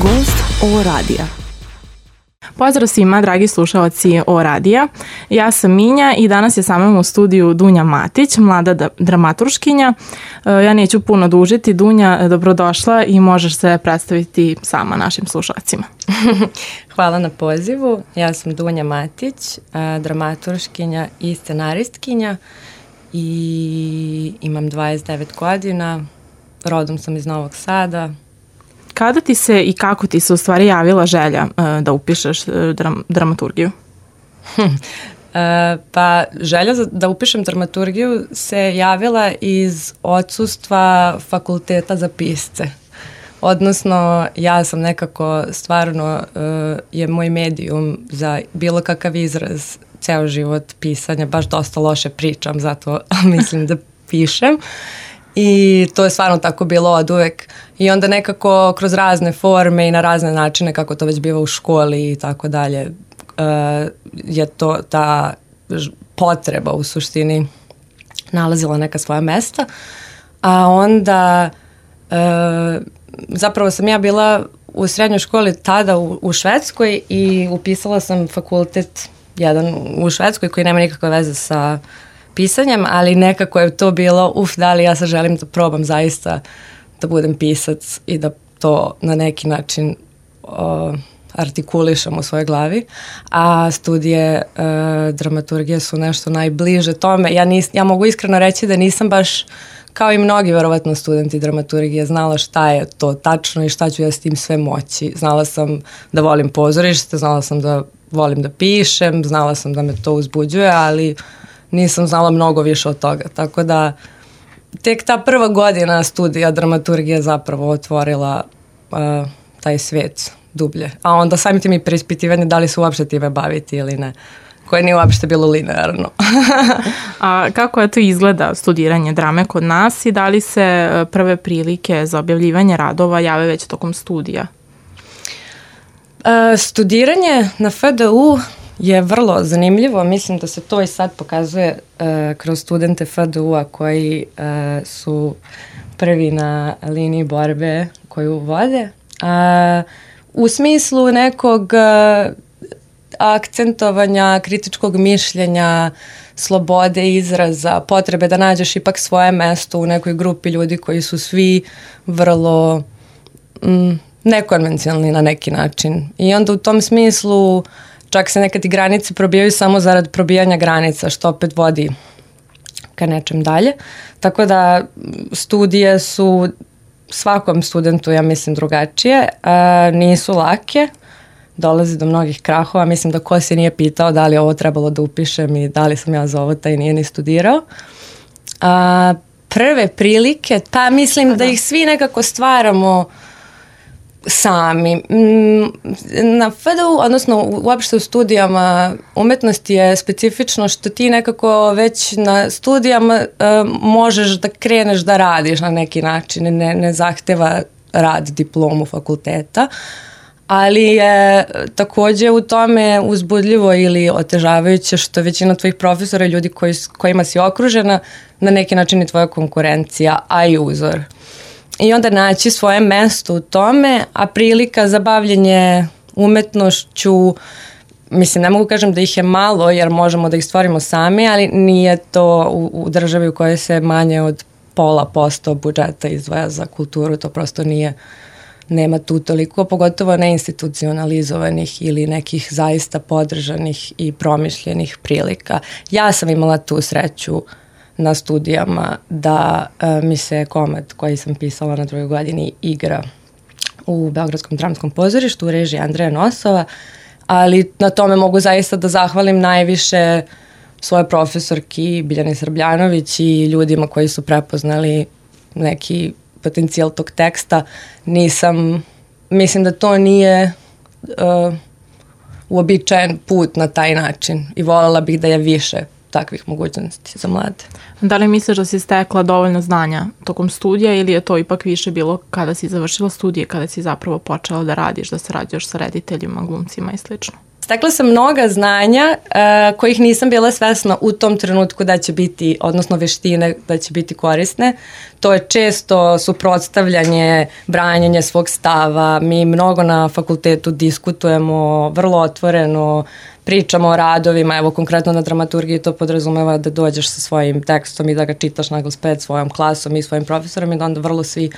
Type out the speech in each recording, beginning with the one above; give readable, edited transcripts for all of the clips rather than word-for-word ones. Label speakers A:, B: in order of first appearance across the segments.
A: Gost O radija.
B: Pozdrav svima, dragi slušalci O radija. Ja sam Minja i danas je sa mnom u studiju Dunja Matić, mlada dramaturškinja. Ja neću puno dužiti. Dunja, dobrodošla i možeš se predstaviti sama našim slušalcima.
C: Hvala na pozivu. Ja sam Dunja Matić, dramaturškinja i scenaristkinja i imam 29 godina. Rodom sam iz Novog Sada.
B: Kada ti se i kako ti se u stvari javila želja da upišeš dramaturgiju?
C: Pa želja da upišem dramaturgiju se javila iz odsustva fakulteta za pisce. Odnosno, ja sam nekako stvarno je moj medijum za bilo kakav izraz ceo život pisanja. Baš dosta loše pričam, zato mislim da pišem. I to je stvarno tako bilo od uvek. I onda nekako kroz razne forme i na razne načine, kako to već biva u školi i tako dalje, je to ta potreba u suštini nalazila neka svoja mesta. A onda zapravo sam ja bila u srednjoj školi tada u Švedskoj i upisala sam fakultet jedan u Švedskoj koji nema nikakve veze sa pisanjem, ali nekako je to bilo, da li ja sad želim da probam zaista da budem pisac i da to na neki način artikulišem u svojoj glavi. A studije dramaturgije su nešto najbliže tome. Ja mogu iskreno reći da nisam baš, kao i mnogi verovatno studenti dramaturgije, znala šta je to tačno i šta ću ja s tim sve moći. Znala sam da volim pozorište, znala sam da volim da pišem, znala sam da me to uzbuđuje, ali nisam znala mnogo više od toga, tako da tek ta prva godina studija dramaturgije zapravo otvorila taj svet dublje. A onda samim tim i preispitivanje da li se uopšte time baviti ili ne, koje nije uopšte bilo linearno.
B: A kako je to izgleda studiranje drame kod nas i da li se prve prilike za objavljivanje radova jave već tokom studija?
C: Studiranje na FDU je vrlo zanimljivo. Mislim da se to i sad pokazuje kroz studente FDU-a koji su prvi na liniji borbe koju vode. U smislu nekog akcentovanja, kritičkog mišljenja, slobode izraza, potrebe da nađeš ipak svoje mesto u nekoj grupi ljudi koji su svi vrlo nekonvencionalni na neki način. I onda u tom smislu čak se nekad i granice probijaju samo zarad probijanja granica, što opet vodi ka nečem dalje. Tako da studije su svakom studentu, ja mislim, drugačije. Nisu lake, dolazi do mnogih krahova. Mislim da ko se nije pitao da li je ovo trebalo da upišem i da li sam ja za ovo, taj nije ni studirao. Prve prilike, pa mislim da ih svi nekako stvaramo sami. Na FDU, odnosno uopšte u studijama umetnosti je specifično što ti nekako već na studijama možeš da kreneš da radiš na neki način, ne zahteva rad diplomu fakulteta, ali je takođe u tome uzbudljivo ili otežavajuće što većina tvojih profesora i ljudi kojima si okružena na neki način je tvoja konkurencija, a i uzor. I onda naći svoje mesto u tome, a prilika za bavljenje umetnošću, mislim, ne mogu kažem da ih je malo, jer možemo da ih stvorimo sami, ali nije to u državi u kojoj se manje od 0,5% budžeta izdvaja za kulturu, to prosto nema tu toliko, pogotovo neinstitucionalizovanih ili nekih zaista podržanih i promišljenih prilika. Ja sam imala tu sreću na studijama da mi se komad koji sam pisala na drugoj godini igra u Beogradskom dramskom pozorištu u režiji Andreja Nosova, ali na tome mogu zaista da zahvalim najviše svoje profesorki Biljani Srbljanović i ljudima koji su prepoznali neki potencijal tog teksta. Mislim da to nije uobičajen put na taj način i voljela bih da je više takvih mogućnosti za mlade.
B: Da li misliš da si stekla dovoljno znanja tokom studija ili je to ipak više bilo kada si završila studije, kada si zapravo počela da radiš, da sarađuješ sa rediteljima, glumcima i slično?
C: stekla sam mnoga znanja kojih nisam bila svesna u tom trenutku da će biti, odnosno veštine da će biti korisne. To je često suprotstavljanje, branjenje svog stava. Mi mnogo na fakultetu diskutujemo, vrlo otvoreno, pričamo o radovima, evo konkretno na dramaturgiji to podrazumeva da dođeš sa svojim tekstom i da ga čitaš naglas pred svojom klasom i svojim profesorom i da onda vrlo svi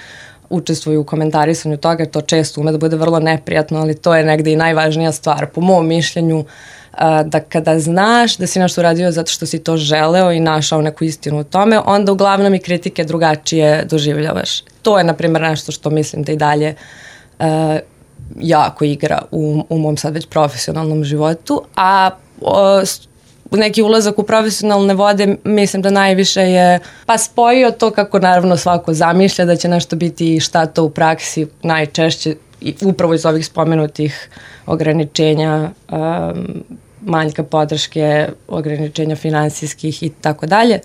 C: učestvuju u komentarisanju toga, to često ume da bude vrlo neprijatno, ali to je negde i najvažnija stvar, po mom mišljenju, da kada znaš da si nešto uradio zato što si to želeo i našao neku istinu u tome, onda uglavnom i kritike drugačije doživljavaš. To je, na primjer, nešto što mislim da i dalje jako igra u mom sad već profesionalnom životu, a neki ulazak u profesionalne vode mislim da najviše je spojio to kako naravno svako zamišlja da će nešto biti i šta to u praksi najčešće upravo iz ovih spomenutih ograničenja, manjka podrške, ograničenja finansijskih i tako dalje,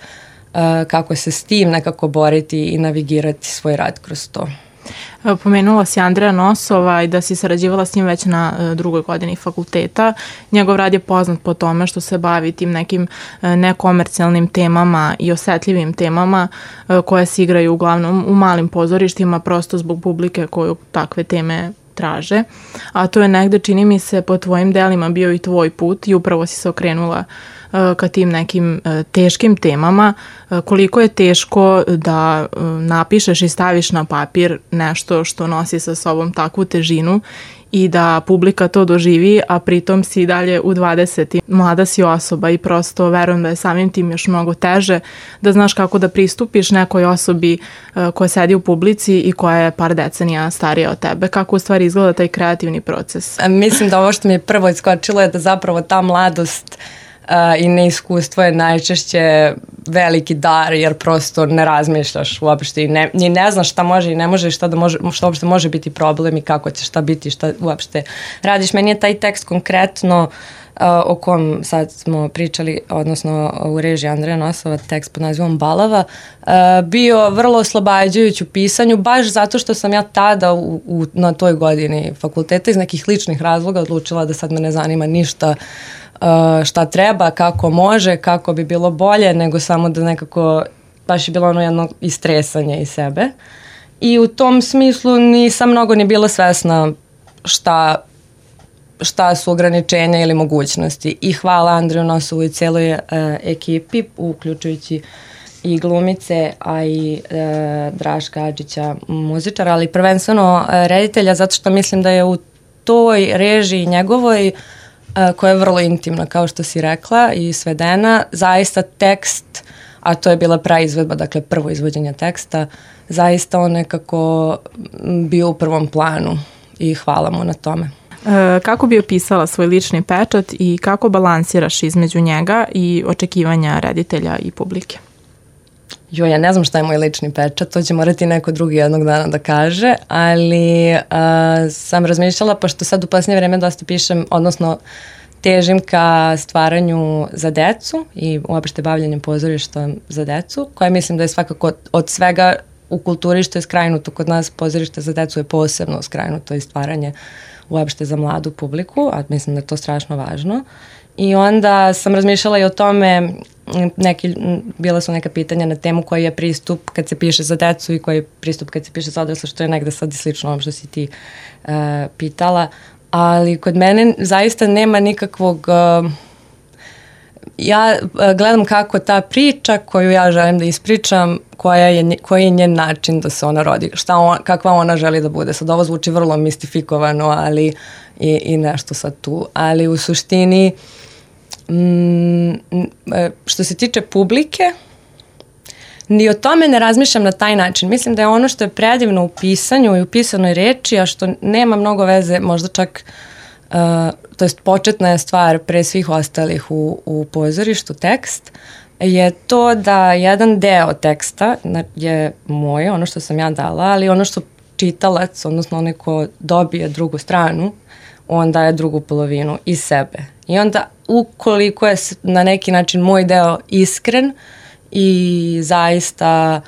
C: kako se s tim nekako boriti i navigirati svoj rad kroz to.
B: Pomenula si Andreja Nosova i da si sarađivala s njim već na drugoj godini fakulteta. Njegov rad je poznat po tome što se bavi tim nekim nekomercijalnim temama i osetljivim temama koje se igraju uglavnom u malim pozorištima prosto zbog publike koju takve teme traže. A to je negde, čini mi se, po tvojim delima bio i tvoj put i upravo si se okrenula ka tim nekim teškim temama. Koliko je teško da napišeš i staviš na papir nešto što nosi sa sobom takvu težinu i da publika to doživi, a pritom si dalje u 20. Mlada si osoba i prosto verujem da je samim tim još mnogo teže da znaš kako da pristupiš nekoj osobi koja sedi u publici i koja je par decenija starija od tebe. Kako u stvari izgleda taj kreativni proces?
C: Mislim da ovo što mi je prvo iskočilo je da zapravo ta mladost i neiskustvo je najčešće veliki dar, jer prosto ne razmišljaš uopšte i ne znaš šta može i ne može, šta uopšte može biti problem i kako će šta biti, šta uopšte radiš. Meni je taj tekst konkretno o kom sad smo pričali, odnosno u režiji Andreja Nosova, tekst pod nazivom Balava, bio vrlo oslobađajući u pisanju, baš zato što sam ja tada na toj godini fakulteta iz nekih ličnih razloga odlučila da sad me ne zanima ništa šta treba, kako može, kako bi bilo bolje, nego samo da nekako baš je bilo ono jedno istresanje iz sebe. I u tom smislu nisam mnogo ni bila svesna šta su ograničenja ili mogućnosti. I hvala Andreju Nosovu i cijeloj ekipi, uključujući i glumice, a i Draška Adžića, muzičara, ali prvenstveno reditelja, zato što mislim da je u toj režiji njegovoj, koja je vrlo intimna, kao što si rekla, i svedena, zaista tekst, a to je bila praizvedba, dakle prvo izvođenje teksta, zaista on nekako bio u prvom planu i hvala mu na tome.
B: Kako bi opisala svoj lični pečat i kako balansiraš između njega i očekivanja reditelja i publike?
C: Ja ne znam šta je moj lični pečat, to će morati neko drugi jednog dana da kaže, ali sam razmišljala, pošto sad u posljednje vreme dosta pišem, odnosno težim ka stvaranju za decu i uopšte bavljanjem pozorišta za decu, koje mislim da je svakako od svega u kulturi što je skrajnuto kod nas, pozorište za decu je posebno skrajnuto i stvaranje uopšte za mladu publiku, a mislim da je to strašno važno. I onda sam razmišljala i o tome, bila su neka pitanja na temu koji je pristup kad se piše za decu i koji je pristup kad se piše za odrasle, što je negde sad i slično ovom što si ti pitala, ali kod mene zaista nema nikakvog, ja gledam kako ta priča koju ja želim da ispričam, koji je njen način da se ona rodi, kakva ona želi da bude. Sad ovo zvuči vrlo mistifikovano, ali i nešto sad tu, ali u suštini što se tiče publike, ni o tome ne razmišljam na taj način. Mislim da je ono što je predivno u pisanju i u pisanoj reči, a što nema mnogo veze, možda čak, to jest početna je stvar pre svih ostalih u pozorištu, tekst, je to da jedan deo teksta je moje, ono što sam ja dala, ali ono što čitalac, odnosno onaj ko dobije drugu stranu, on daje drugu polovinu iz sebe. I onda ukoliko je na neki način moj deo iskren i zaista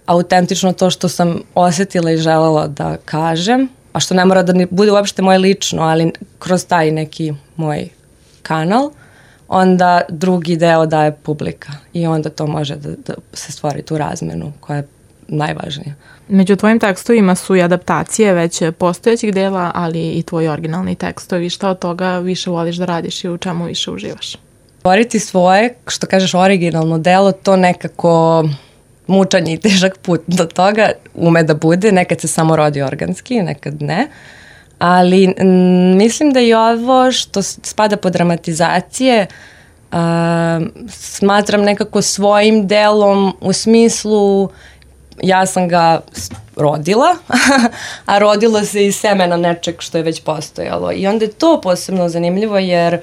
C: autentično to što sam osjetila i želela da kažem, a što ne mora da ne bude uopšte moje lično, ali kroz taj neki moj kanal, onda drugi deo daje publika i onda to može da se stvori tu razmenu koja je najvažnija.
B: Među tvojim tekstovima su i adaptacije već postojećih dela, ali i tvoji originalni tekstovi. Šta od toga više voliš da radiš i u čemu više uživaš?
C: Stvoriti svoje, što kažeš, originalno delo, to nekako mučanje i težak put do toga ume da bude. Nekad se samo rodi organski, nekad ne. Ali mislim da i ovo što spada pod dramatizacije smatram nekako svojim delom u smislu ja sam ga rodila, a rodilo se iz semena nečeg što je već postojalo. I onda je to posebno zanimljivo jer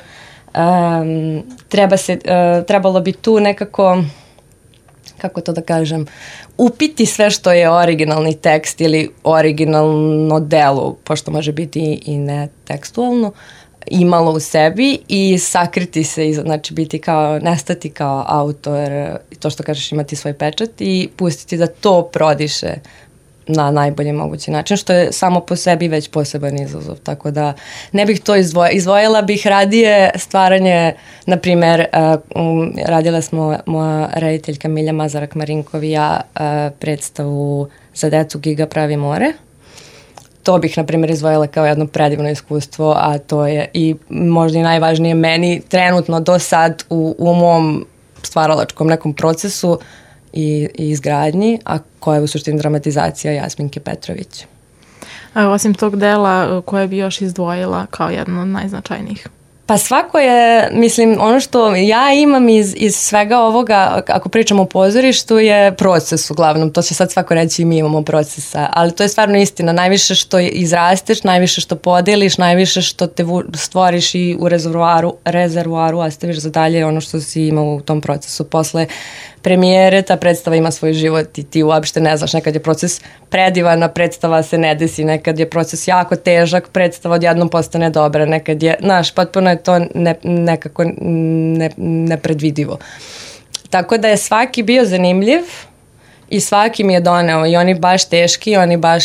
C: trebalo bi tu nekako, kako to da kažem, upiti sve što je originalni tekst ili originalno delo, pošto može biti i ne tekstualno, imalo u sebi i sakriti se, znači biti kao, nestati kao autor, to što kažeš, imati svoj pečat i pustiti da to prodiše na najbolji mogući način, što je samo po sebi već poseban izazov, tako da ne bih to izdvojila bih radije stvaranje, na primjer, radila smo moja rediteljka Milja Mazarak-Marinkov i ja predstavu za decu Giga pravi more. To bih, na primjer, izdvojila kao jedno predivno iskustvo, a to je i možda i najvažnije meni trenutno do sad u mom stvaralačkom nekom procesu i izgradnji, a koja je u suštini dramatizacija Jasminke Petrović.
B: A osim tog dela, koje bi još izdvojila kao jedno od najznačajnijih?
C: Pa svako je, mislim, ono što ja imam iz svega ovoga, ako pričamo o pozorištu, je proces uglavnom. To će sad svako reći i mi imamo procesa, ali to je stvarno istina. Najviše što izrasteš, najviše što podeliš, najviše što te stvoriš i u rezervoaru ostaviš za dalje ono što si imao u tom procesu. Posle premijere ta predstava ima svoj život i ti uopšte ne znaš, nekad je proces predivan, a predstava se ne desi, nekad je proces jako težak, predstava odjednom postane dobra, nekad je, znaš, potpuno je to nekako nepredvidivo. Tako da je svaki bio zanimljiv i svaki mi je doneo i oni baš teški, oni baš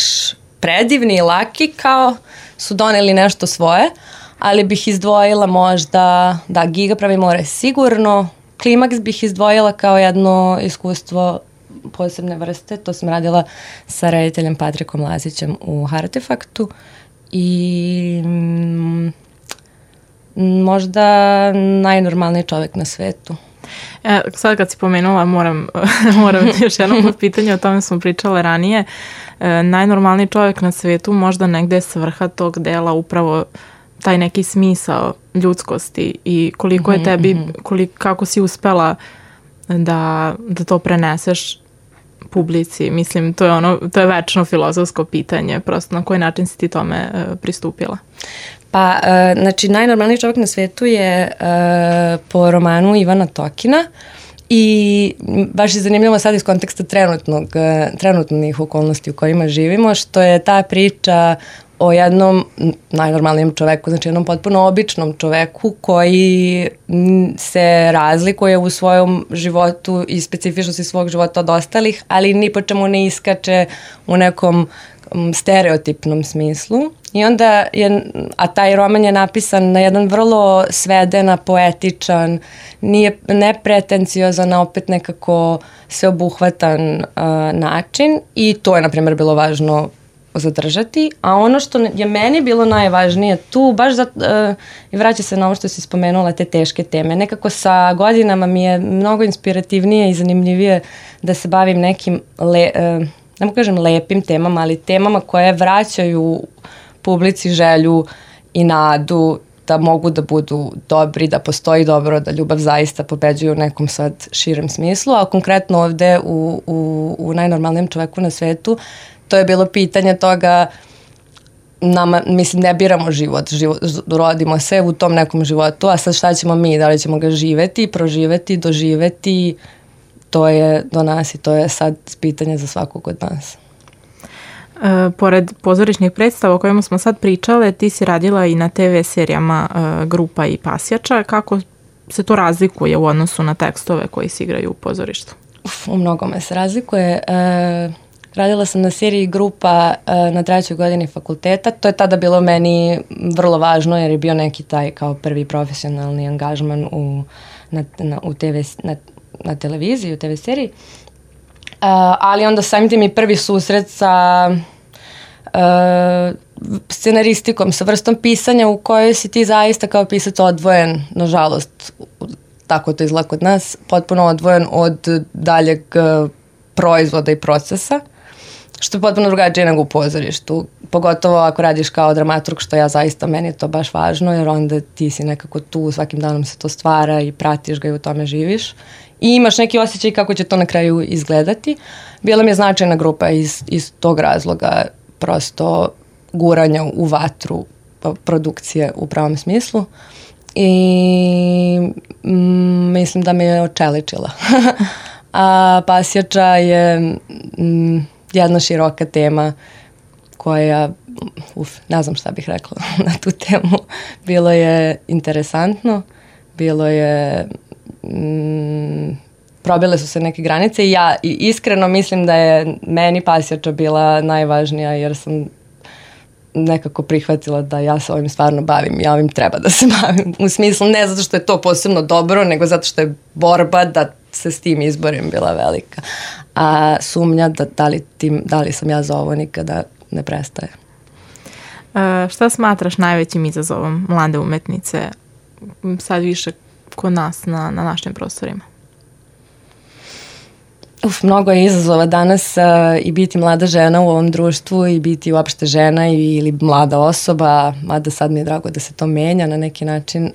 C: predivni i laki kao su doneli nešto svoje, ali bih izdvojila možda, da, Giga pravi more sigurno, Klimaks bih izdvojila kao jedno iskustvo posebne vrste. To sam radila sa rediteljem Patrikom Lazićem u Artefaktu i možda najnormalniji čovjek na svetu.
B: Sad kad si pomenula, moram još jedno pitanje, o tome smo pričale ranije. Najnormalniji čovjek na svetu, možda negde je svrha tog dela upravo taj neki smisao ljudskosti i koliko je tebi, kako si uspela da to preneseš publici. Mislim, to je večno filozofsko pitanje, prosto na koji način si ti tome pristupila?
C: Pa, znači, najnormalniji čovjek na svetu je po romanu Ivana Tokina i baš je zanimljivo sad iz konteksta trenutnih okolnosti u kojima živimo, što je ta priča o jednom najnormalnijem čoveku, znači jednom potpuno običnom čoveku koji se razlikuje u svojom životu i specifičnosti svog života od ostalih, ali ni po čemu ne iskače u nekom stereotipnom smislu. I onda a taj roman je napisan na jedan vrlo svedena, poetičan, nepretenciozan, a opet nekako sveobuhvatan način i to je, na primjer, bilo važno zadržati, a ono što je meni bilo najvažnije tu, baš i vraća se na ovo što si spomenula, te teške teme. Nekako sa godinama mi je mnogo inspirativnije i zanimljivije da se bavim nekim, ne mogu kažem lepim temama, ali temama koje vraćaju publici želju i nadu da mogu da budu dobri, da postoji dobro, da ljubav zaista pobeđuje u nekom sad širem smislu, a konkretno ovde u najnormalnijem čoveku na svetu to je bilo pitanje toga, nama, mislim, ne biramo život, rodimo se u tom nekom životu, a sad šta ćemo mi, da li ćemo ga živeti, proživeti, doživeti, to je do nas i to je sad pitanje za svakog od nas.
B: Pored pozorišnih predstava o kojima smo sad pričale, ti si radila i na TV serijama Grupa i Pasjača. Kako se to razlikuje u odnosu na tekstove koji se igraju u pozorištu?
C: U mnogome se razlikuje. Radila sam na seriji Grupa na 3. godini fakulteta. To je tada bilo meni vrlo važno jer je bio neki taj kao prvi profesionalni angažman na televiziji, u TV seriji. Ali onda samim tim i prvi susret sa scenaristikom, sa vrstom pisanja u kojoj si ti zaista kao pisac odvojen, nažalost, tako to izgleda kod nas, potpuno odvojen od daljeg proizvoda i procesa, što je potpuno drugačije nego u pozorištu. Pogotovo ako radiš kao dramaturg, što ja zaista, meni je to baš važno, jer onda ti si nekako tu, svakim danom se to stvara i pratiš ga i u tome živiš. I imaš neki osjećaj kako će to na kraju izgledati. Bila mi je značajna grupa iz tog razloga, prosto guranja u vatru produkcije u pravom smislu. I mislim da me je očeličila. A Pasjača je jedna široka tema koja, ne znam šta bih rekla na tu temu. Bilo je interesantno, bilo je, probile su se neke granice i ja iskreno mislim da je meni Pasjača bila najvažnija jer sam nekako prihvatila da ja se ovim stvarno bavim, ja ovim treba da se bavim. U smislu ne zato što je to posebno dobro, nego zato što je borba da se s tim izborim bila velika. A sumnja da li sam ja za ovo nikada ne prestaje.
B: Šta smatraš najvećim izazovom mlade umetnice sad više kod nas na našim prostorima?
C: Mnogo je izazova danas i biti mlada žena u ovom društvu i biti uopšte žena ili mlada osoba, mada sad mi je drago da se to menja na neki način.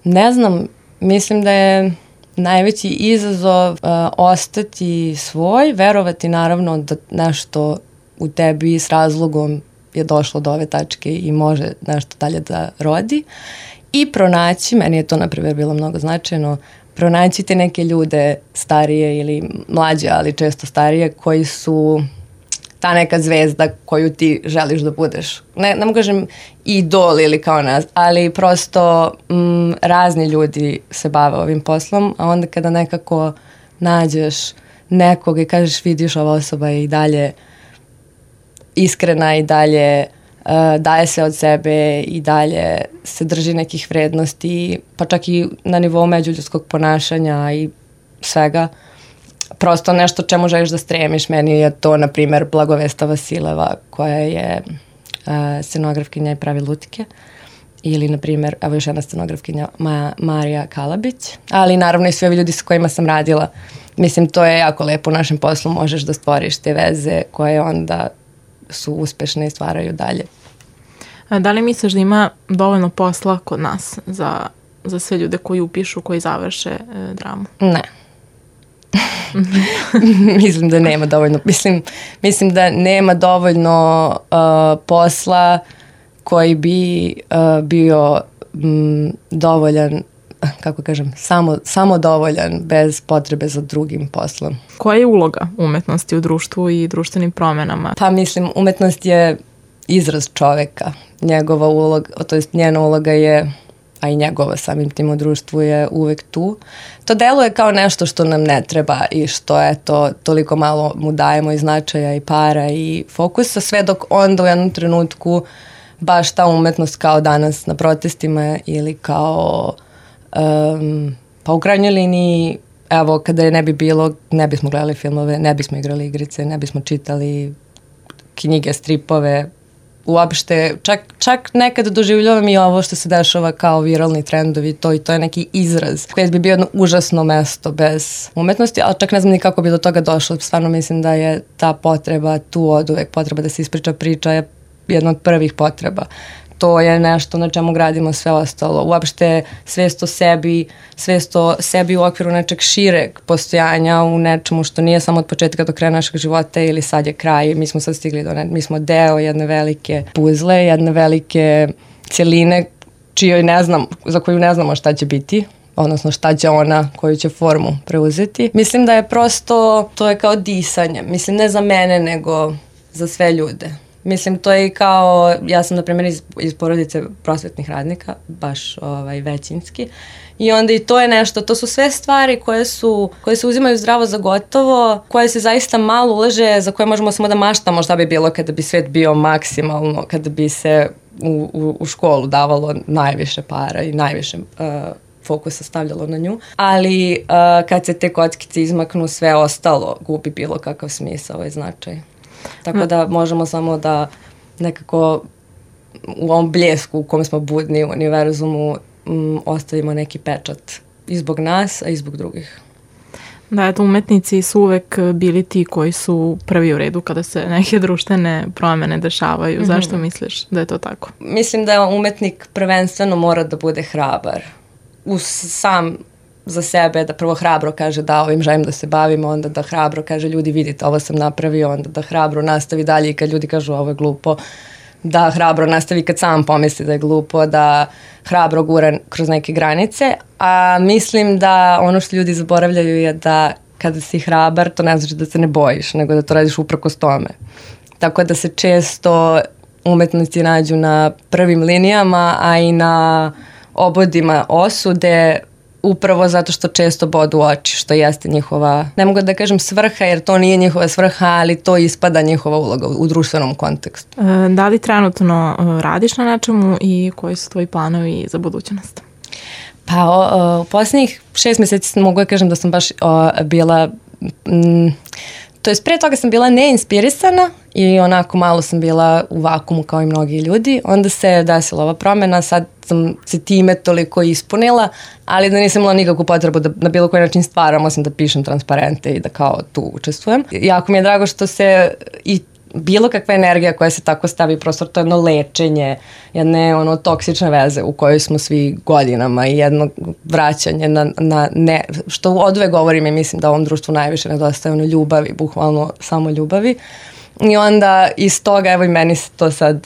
C: Ne znam, mislim da je najveći izazov ostati svoj, verovati naravno da nešto u tebi s razlogom je došlo do ove tačke i može nešto dalje da rodi i pronaći, meni je to na primjer bilo mnogo značajno, pronaći te neke ljude starije ili mlađe, ali često starije, koji su ta neka zvezda koju ti želiš da budeš. Ne mogu kažem idol ili kao nas, ali prosto razni ljudi se bave ovim poslom, a onda kada nekako nađeš nekog i kažeš vidiš ova osoba je i dalje iskrena i dalje daje se od sebe i dalje se drži nekih vrednosti, pa čak i na nivou međuljudskog ponašanja i svega. Prosto nešto čemu želiš da stremiš. Meni je to, na primjer, Blagovesta Vasileva, koja je scenografkinja i pravi lutike. Ili, na primjer, evo još jedna scenografkinja, Marija Kalabić. Ali, naravno, i svi ovi ljudi s kojima sam radila. Mislim, to je jako lepo u našem poslu. Možeš da stvoriš te veze koje onda su uspešne i stvaraju dalje.
B: Da li misliš da ima dovoljno posla kod nas za sve ljude koji upišu, koji završe dramu?
C: Ne. Mislim da nema dovoljno. Mislim da nema dovoljno posla koji bi bio dovoljan, kako kažem, samo dovoljan bez potrebe za drugim poslom.
B: Koja je uloga umetnosti u društvu i društvenim promenama?
C: Pa mislim, umetnost je izraz čoveka. Njegova uloga, to jest njena uloga je, a i njegova samim tim u društvu je uvek tu. To deluje kao nešto što nam ne treba i što je to toliko malo mu dajemo i značaja i para i fokusa, sve dok onda u jednom trenutku baš ta umetnost kao danas na protestima ili kao pa u krajnjoj liniji, evo, kada je ne bi bilo, ne bismo gledali filmove, ne bismo igrali igrice, ne bismo čitali knjige, stripove, uopšte, čak nekad doživljavam i ovo što se dešava kao viralni trendovi, to je neki izraz koji bi bio jedno užasno mesto bez umetnosti, ali čak ne znam ni kako bi do toga došlo. Stvarno mislim da je ta potreba tu od uvek, potreba da se ispriča priča je jedna od prvih potreba. To je nešto na čemu gradimo sve ostalo. Uopšte svest o sebi u okviru nečeg šireg postojanja, u nečemu što nije samo od početka do kraja našeg života ili sad je kraj. Mi smo sad stigli mi smo deo jedne velike puzle, jedne velike cjeline za koju ne znamo šta će biti, odnosno šta će ona, koju će formu preuzeti. Mislim da je prosto, to je kao disanje. Mislim, ne za mene, nego za sve ljude. Mislim, to je i kao, ja sam na primjer iz porodice prosvetnih radnika, baš većinski, i onda i to je nešto, to su sve stvari koje se uzimaju zdravo za gotovo, koje se zaista malo ulaže, za koje možemo samo da maštamo šta bi bilo kada bi svet bio maksimalno, kada bi se u školu davalo najviše para i najviše fokusa stavljalo na nju, ali kad se te kockice izmaknu, sve ostalo gubi bilo kakav smisao i značaj. Tako da možemo samo da nekako u ovom bljesku u kom smo budni u univerzumu ostavimo neki pečat i zbog nas, a i zbog drugih.
B: Da, eto, umetnici su uvek bili ti koji su prvi u redu kada se neke društvene promene dešavaju. Zašto misliš da je to tako?
C: Mislim da umetnik prvenstveno mora da bude hrabar. Sam za sebe, da prvo hrabro kaže da ovim želim da se bavimo, onda da hrabro kaže ljudi vidite ovo sam napravio, onda da hrabro nastavi dalje i kad ljudi kažu ovo je glupo, da hrabro nastavi kad sam pomisli da je glupo, da hrabro gura kroz neke granice, a mislim da ono što ljudi zaboravljaju je da kada si hrabar to ne znači da se ne bojiš, nego da to radiš uprkos tome. Tako da se često umetnici nađu na prvim linijama, a i na obodima osude, upravo zato što često bodu oči, što jeste njihova, ne mogu da kažem svrha, jer to nije njihova svrha, ali to ispada njihova uloga u društvenom kontekstu.
B: Da li trenutno radiš na nečemu i koji su tvoji planovi za budućnost?
C: Pa u posljednjih 6 mjeseci mogu da kažem da sam baš bila, to jest prije toga sam bila neinspirisana i onako malo sam bila u vakumu kao i mnogi ljudi. Onda se desila ova promjena, sad sam se time toliko ispunila, ali da nisam imala nikakvu potrebu da na bilo koji način stvaram, osim da pišem transparente i da kao tu učestvujem. Jako mi je drago što se i bilo kakva energija koja se tako stavi u prostor, to je jedno lečenje, jedne toksične veze u kojoj smo svi godinama i jedno vraćanje na ne, što odve govorim i mislim da ovom društvu najviše nedostaje ljubavi, bukvalno samo ljubavi. I onda iz toga, evo i meni se to sad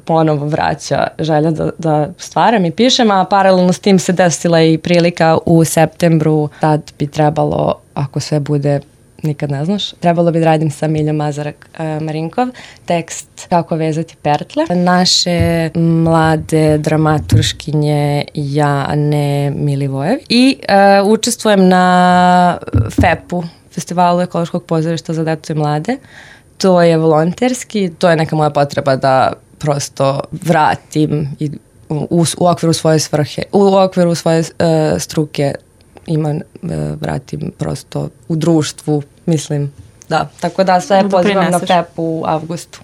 C: ponovo vraća želja da stvaram i pišem, a paralelno s tim se desila i prilika u septembru, tad bi trebalo, ako sve bude, nikad ne znaš, trebalo bi da radim sa Miljom Mazarak-Marinkov, tekst Kako vezati pertle. Naše mlade dramaturškinje Jane Milivojev i učestvujem na FEP-u, Festivalu ekološkog pozorišta za decu i mlade. To je volonterski, to je neka moja potreba da prosto vratim i u okviru svoje svrhe, u okviru svoje struke vratim prosto u društvu, mislim, da. Tako da sve pozivam na FEP u avgustu.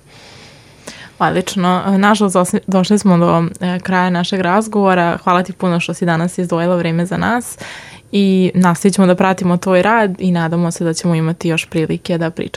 B: Odlično. Nažalost, došli smo do kraja našeg razgovora. Hvala ti puno što si danas izdvojila vreme za nas i nastavit ćemo da pratimo tvoj rad i nadamo se da ćemo imati još prilike da pričamo.